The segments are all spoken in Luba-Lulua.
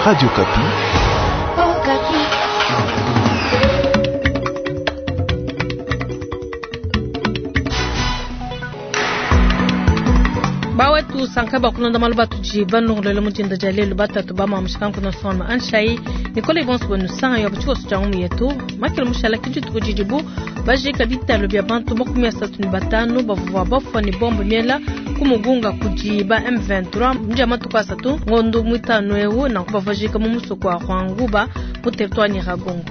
Radio Okapi. Bawetu sanka bakulonda malu batudi banongolole mu dinda dia lelu batatu ba mamushikanku nsonga anshayi nikole bonso benu sanga yo tshikoso tshia ngumu yetu makele mushala ki dituku didibu bajika bitalo bia bantu 35 bavua bafua ne bombe miela ku Mugunga kudi ba M23 mu dia matuku asatu ngondo muitanu eu nanku bavua mu musoko wa Rwanguba mu territoire Nyiragongo.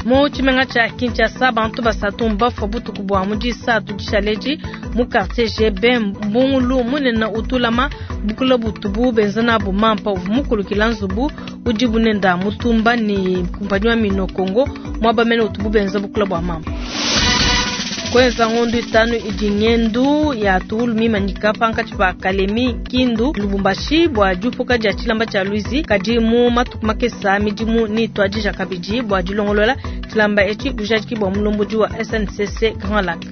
Mu tshimenga tshia Kinshasa bantu basatu mbafua butuku bua mu disatu dishaledi mu quartier GB mbungulu munene utulama bukula butubu benza nabu mampa uvua mukulukila nzubu udi bunenda mutumba ne kumpanyi wa Mino Congo muaba mene utubu benza bukula bua mampa. Kwenza ngondo itanu idi ngendu ya tuulu mimanyika pankatshi pa Kalemi Kindu Lubumbashi bua diupuka dia tshilamba tshia Luizi kadi mu matuku makesa midimu ni tuadija kabidi bua dilongolola tshilamba etshi bujadiki bua mulombodi wa SNCC Grand Lac.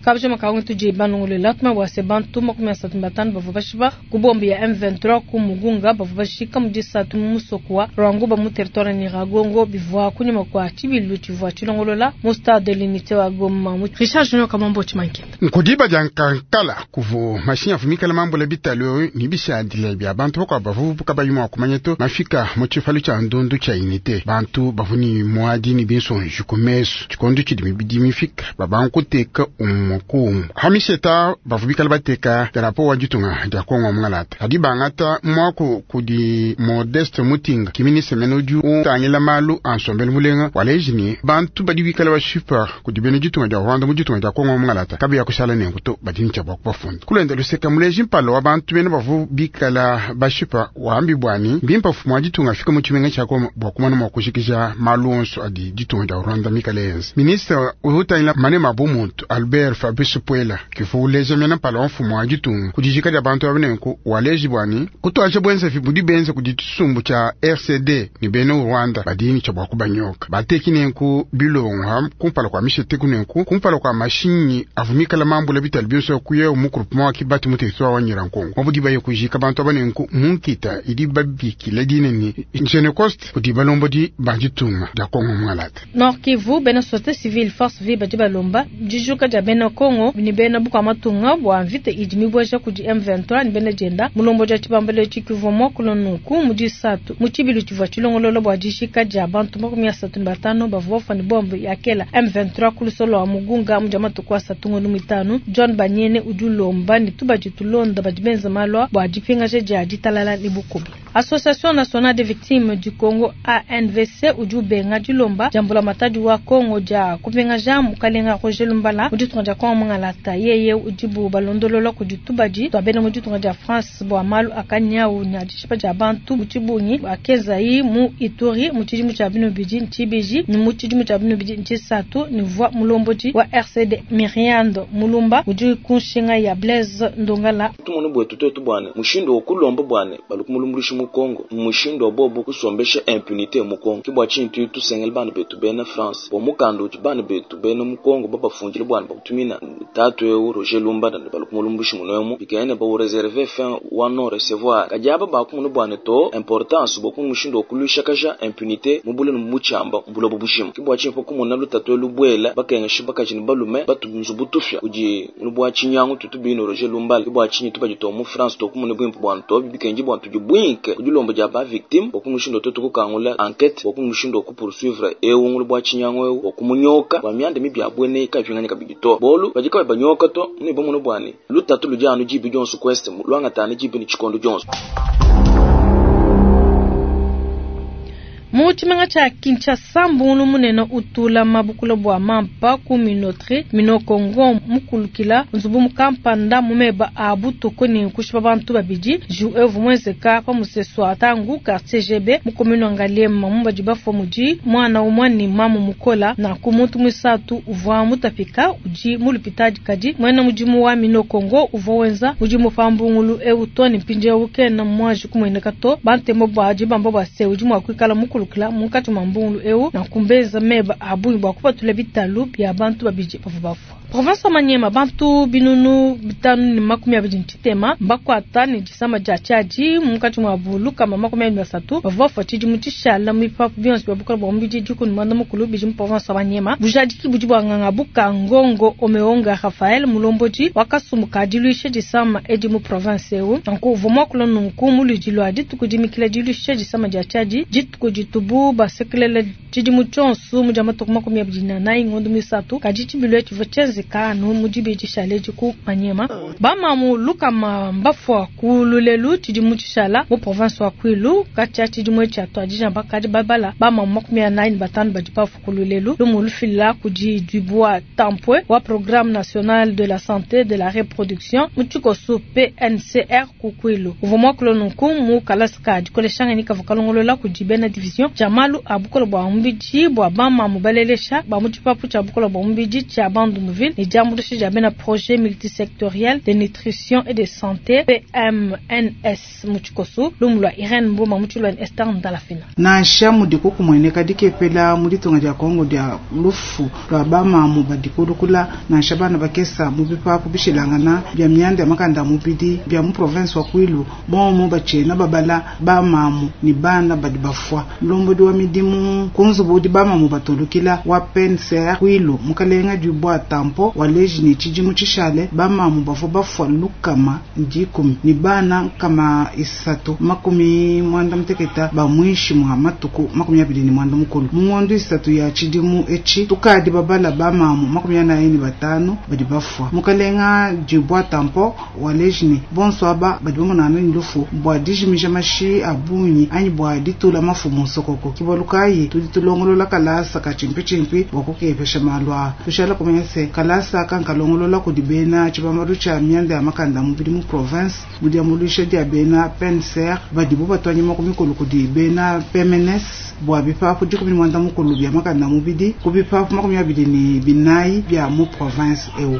Kabja makaungu tudi banongolela tuma bua se bantu 35 bavua bashipa ku bombe ya M23 ku Mugunga bavua bashika mu disatu mu musoko wa Rwanguba mu territoire Nyiragongo bivua kunyima kua tshibilu tshivua tshilongolola mu stade de l'unité wa Goma. Richard Junior Kamambo Tshimankenda. Nkudiba dia nkankala kuvu mashinya afumikala mambula bitalo ni bishadile bia bantu bakwa bavubuka bayimwa kumanya to mafika mu tshifalu tshia ndundu tshia unité bantu bavuni muadi ni binsonji ku mesu tshikondo tshidi mibidi mifika babankuteka umwe kumu hamisheta bavubikala bateka darapo wa ditunga dia Kongo mungalata adi bangata mwaku kudi Modeste Mutinga kiminise mene udi utangila malu a nsombelu mulenga waleji bantu badi bikala bashipa kudi bena ditunga dia Rwanda mu ditunga dia Kongo mungalata kabi ya kushala nengu to badi ntsha bua kubafunda kulenda luseka muleji mpalo wa bantu bena bavubikala bashipa wambi bwani mbimpa fumu wa ditunga afika mu tshimenga tshia Goma bua kumana mua kushikisha malu onso adi ditunga dia Rwanda mikale yenza ministre utangila manema bumuntu Albert Fabrice Puela kifuleja mena pala mfumu wa ditunga kudijika dia bantu abenenku waleji bwani kutwaje bwenza budi benza kudi tshisumbu tshia RCD ni bena Rwanda badini tsha bua kubanyoka bateki nenku bilongo kumpala kwa mishete kunenku kumpala kwa mashinyi avumikala mambula bitali byonso kuye mu groupement wa Kibati mu territoire wa Nyirankongo mabudi baye kujika bantu abanenku munkita idi babikila dinene Genecost kudi balombodi ba ditunga dia Kongo mungalata. Nord Kivu bena société civile force vive badi balomba dijuka dia bena Kongo ni bena bukwa matunga bua mvita idi mibweja kudi M23 ni bena jenda mulombo dia tshibambalo tshikivua mwakulo nunku mu disatu mu tshibilu tshivua tshilongolola bua dishika dia bantu 35 bavua bafua ne bombe ya kela M23 ku lusolo wa Mugunga mu dia matuku asatu ngondo mitanu. John Banyene udi ulomba ne tubadi tulonda badi benza malwa bua dipingaja dia ditalala ne bukubi. Association nationale des victimes du Congo ANVC udi ubenga dilomba dia mbulamatadi wa Congo dia kupingaja mukalenga Roger Lumbala mu ditunga dia Kongo mungalata yeye udibu balondolola kudi tubadi tua bena mu ditunga dia France bua malu akanyau ne adishipa dia bantu mu tshibungi akezayi mu Ituri mu tshidimu tshia bino bidi ntshibiji ne mu tshidimu tshia bino bidi ntshisatu ne vua mulombodi wa RCD Miriando Mulumba udi kunshinga ya Blaise Ndongala. Tumone bwetu twetu bwane mushindo okulomba bwane balukumulumbulushi mu Congo mushindo bobo kusombesha impunité mu Congo kibwa chintu tusengel bana betu bena France bo mukando uti bana betu bena mu Congo babafunjile bwana bakutumina tatu eu Roger Lumba na balukumulumbushi munomu bikaene ba reserver fin wa non recevoir kajaba bakumunu bwane to importance bo kumushindo okulusha kaja impunité mubule no muchamba mbulo bubushimo kibwa chintu kumona lutatu lubwela bakenga shibaka chini balume batu nzubutufya uji nubwa chinyangu tutubino Roger Lumba kibwa chinyi tubajito mu France to kumune bwimpu bwana to bikenji bwana tujibwinke kujulombo ja ba victime bokumushindo to tukukangula enquête bokumushindo ku poursuivre ewu bwa chinyango ewu okumunyoka bwa myande mibya bwene kafinganya kabigito bolu bajika banyoka to ni bomuno bwane lutatu lujanu jibi Johnson quest lwanga tani jibi ni chikondo Johnson. Mu tshimenga tshia Kinshasa mbungulu munene utula mabukula bua mampa ku minotri Mino Congo mukulukila nzubu mukampanda mumeba a butuku ne kushipa bantu babidi ju evu mwezeka pa musesu atangu quartier GB mu commune Ngaliema mu badi bafua mudi mwana umwe ni mamu mukola na ku muntu mwisatu uvua mutapika udi mu lupitadi kadi mwena mudimu wa Mino Congo uvua wenza mudimu pa mbungulu ewu to ne mpindieu kena mwaji kumweneka to bantemo badi bamba bua se udi mua kuikala mukulu munkatshi mwa mbungulu ewu na kumbeza meba abungi bua kupatula bitalu bia bantu babidi bavua bafua. Province wa Maniema, bantu 523 mbakwata ne disama dia tshiadi munkatshi muabu 123 bavua bafua tshidimu tshishala mu bipapu bionso bia bukole bua mubidi 19 bidi mu province wa Maniema. Bujadiki budi bua nganga buka Ngongo Omeonga Raphael, mulombodi wa kasumbu ka diluisha disama edi mu province eu. Nanku uvua muakula nunku mu luidi lua dituku dimikila diluisha disama dia tshiadi, dituku ditubu basekelela tshidimu tshionso mu dia matuku 24 ngondo misatu, kadi tshibilu tshivua tshienzeka anu mu dibidi shaledi ku Maniema. Bamamu 100 mbafua ku lulelu tshidimu tshishala mu province wa Kwilu. Katshia tshidimu tshia tuadija bakadi babala bamamu 45 badi bafua ku lulelu. Lumu lufila kudi Dubois Tampwe wa Programme National de la Santé de la Reproduction mu tshikoso PNCR ku Kwilu. Uvua muakula nunku mu kalasa ka dikoleshangani kavua kalongolola kudi bena division tshia malu a bukole bua mubidi bua bamamu balelesha ba mu tshipapu tshia bukole bua mubidi tshia Bandunduville ne diambuluisha dia bena projet multisectoriel de nutrition et de santé PMNS mu tshikoso. Lumu lua Irene Mboma mu tshilua Esther Ndalafina. Nansha mudi kukumueneka dikepela mu ditunga dia Kongo dia lufu lua bamamu badikulukula nansha bana bakesa mu bipapu bishilangana bia mianda ya makanda a mubidi bia mu province wa Kwilu bomo bachena babala bamamu ni bana badi bafua. Mulombodi wa midimu ku nzubu udi bamamu batulukila wa PNCR Kwilu mukalenga Dubois Tampo waleji ne tshidimu tshishale bamamu bavua bafua 110 ni bana 396 ba mwishi mwa matuku 29 mu ngondo isatu ya tshidimu etshi tukadi babala bamamu 45 badi bafua. Mukalenga Dubois Tampo waleji ne bonso aba badi bamonana ni lufu bua dijimija mashi a bungi anyi bua ditula mafu mu nsokoko. Kibalukayi tudi tulongolola kalasa ka chimpichimpi bua kukepesha malu aa. Tushala kumanya se kalasa kankalongolola kudi bena tshibambalu tshia mianda ya makanda mubidi mu province mu diambuluisha dia bena PNCR badibu batwanyima ku mikolo kudi bena PMNS bua bipapu 19 bia makanda mubidi ku bipapu 24 bia mu province eu.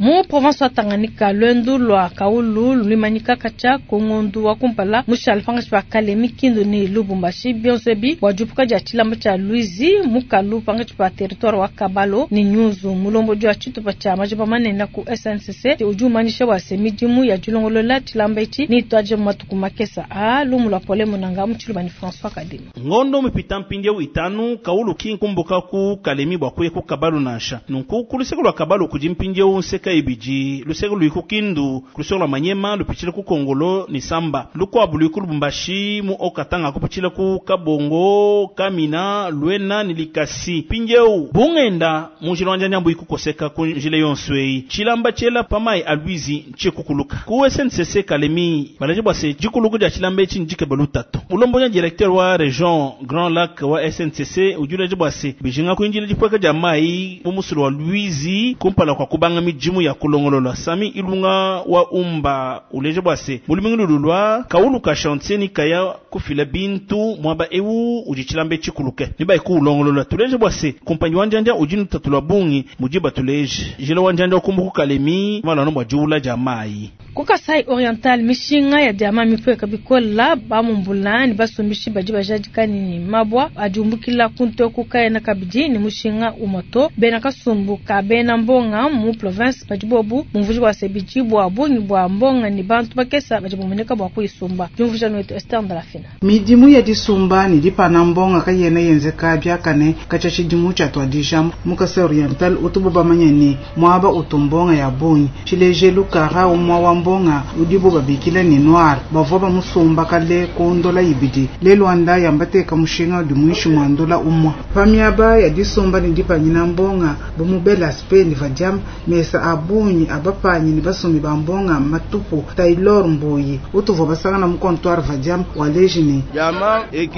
Mu province wa Tanganyika, lwendu lwa Kaulu luimanyika katshia ku ngondu wa kumpala mushala pangashi pa Kalemi, Kindu ne Lubumbashi bionso ebi bua diupuka dia tshilamba tshia Luizi mukalu pangashi pa territoire wa Kabalo ne Nyunzu. Mulombodi wa tshitupa tshia majiba manene ku SNCC udi umanyisha bua se midimu ya dilongolola tshilamba etshi ne ituadije mu matuku makesa a lumu lua Pole Munanga mu tshiluba ni François Kadima. Ngondo mipita mpindieu itanu Kaulu kinkumbuka ku Kalemi bua kuya ku Kabalo nansha nunku ku luseke lua Kabalo kudi mpindieu nseka ibidi luseke luiku Kindu luseke lua Manyema lupitshila ku Kongolo ni Samba lukwabu luiku Lubumbashi mu Okatanga kupitshila ku Kabongo Kamina Luena ni Likasi mpindieu bungenda mu njila wa njanja ikukoseka ku njila yonso eyi tshilamba tshiela pamai a Luizi tshikukuluka ku SNCC Kalemi balaje bua se dikuluku dia tshilamba etshi ndikeba lutato. Mulombonya directeur wa region Grand Lac wa SNCC udi ulaje bua se bijinga kuinjila dipweka dia mai mu musulu wa Luizi kumpala kwa kubanga midimu ya kulongolola. Sami Ilunga wa umba uleje bua se mulumingu lululwa kaulu ka chantier ni kaya kufila bintu mwaba eu udi tshilambe tshikuluke ni bai kulongolola. Tuleje bua se kumpanyi wa njanja udi nutatulwa bungi mujiba tuleje jila wa njanja kumbuku Kalemi malano bua diula dia mai. Ku Kasai Oriental mishinga ya diama mipweka bikola bamumbula ni basumbishi badi bajadika ni mabwa adiumbukila kunto kukaena kabidi ni mushinga umoto bena kasumbu ka bena mbonga mu province badi bobu mumvuji wa sebiji bua bungi bua mbonga ni bantu bakesa badi bumeneka bua kuisumba. Jumvuja nwetu Esther Ndalafina. Midimu ya disumba ni dipana mbonga kayena yenzeka biakane kacha tshidimu tshia tuadija mu Kasai Oriental utubu bamanye ni mwaba utumbonga ya bungi tshilejelu kara umwa wa mbonga udibo babikila ni noir bavua bamusumba kale kondola ibidi lelwanda yambateka mushinga udi mwishi mwandola umwa pamiaba ya disumba ni dipanyina mbonga bumubela spe ni vadiam mesa abunyi abapanyi ni basumbi ba mbonga matupu Taylor Mbuyi utuvua basangana mu comptoir vadiam waleji ni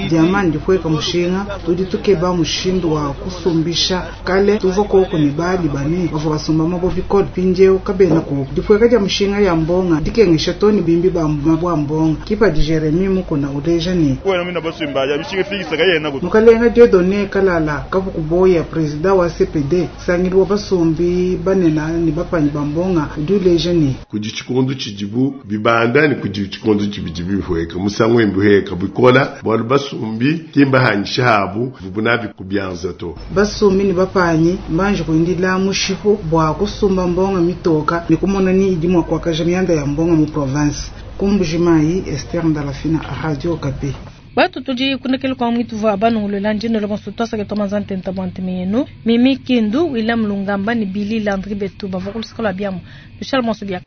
diama ndipweka mushinga tudi tukeba mushindu wa kusumbisha kale tuvua koko ni bali bane bavua basumba mabo bikole pinjeu kabena ku dipweka dia mushinga ya mbonga dikengesha toni bimbi ba mabwa mbonga kipa di Jeremy mukuna uleja ni mukalenga Dieudonné Kalala kabukuboya president wa CPD sangilwa basumbi banena ni bapanyi ba mbonga udi uleja ne, Kudi tshikondu tshidibu bibanda ne kudi tshikondu tshidi bihueka. Musangu bihueka bikola bualu basumbi kimbahangisha abu vubu nabi kubianza to. Basumbi ne bapanyi mbanji kuindila mushipu bua kusumba mbonga mitoka ne kumona ni idi mua kuakaja mianda ya mbonga mu province. Ku Mbujimayi, Esther Ndalafina, Radio Okapi. Batu tudi kunekele kwa mwitu va banungulula ndino le bonso twasake twamazante ntabwante meyenu Mimi Kindu William Lungamba ni Billy Landry Betu bavua kulusaka lwa biamu Michel Monso bia.